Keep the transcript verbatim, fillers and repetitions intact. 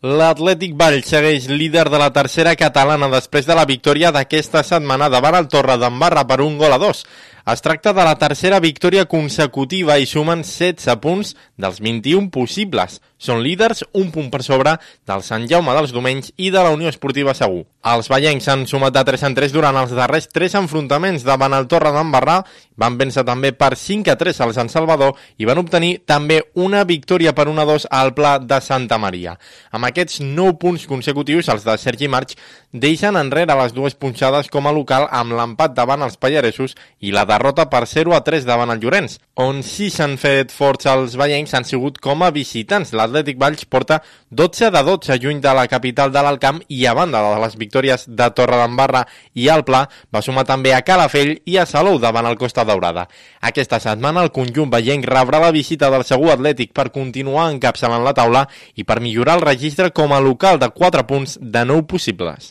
L'Atlètic Valls segueix líder de la tercera catalana després de la victòria d'aquesta setmana davant el Torredembarra per un gol a dos. Es tracta de la tercera victòria consecutiva i sumen setze punts dels vint-i-un possibles. Són líders un punt per sobre del Sant Jaume dels Domenys i de la Unió Esportiva Segur. Els vallencs s'han sumat de tres en tres durant els darrers tres enfrontaments davant el Torredembarra, van vèncer també per cinc a tres al Sant Salvador i van obtenir també una victòria per un a dos al Pla de Santa Maria. Amb aquests nou punts consecutius, els de Sergi March deixen enrere les dues punxades com a local amb l'empat davant els pallaresos i la derrota per zero a tres davant el Llorenç, on sí s'han fet forts els vallencs han sigut com a visitants. L'Atlètic Valls porta dotze de dotze lluny de la capital de l'Alcamp i a banda de les victòries de Torredembarra i el Pla va sumar també a Calafell i a Salou davant el Costa Daurada. Aquesta setmana el conjunt vallenc rebrà la visita del Segur Atlètic per continuar encapçalant la taula i per millorar el registre com a local de quatre punts de nou possibles.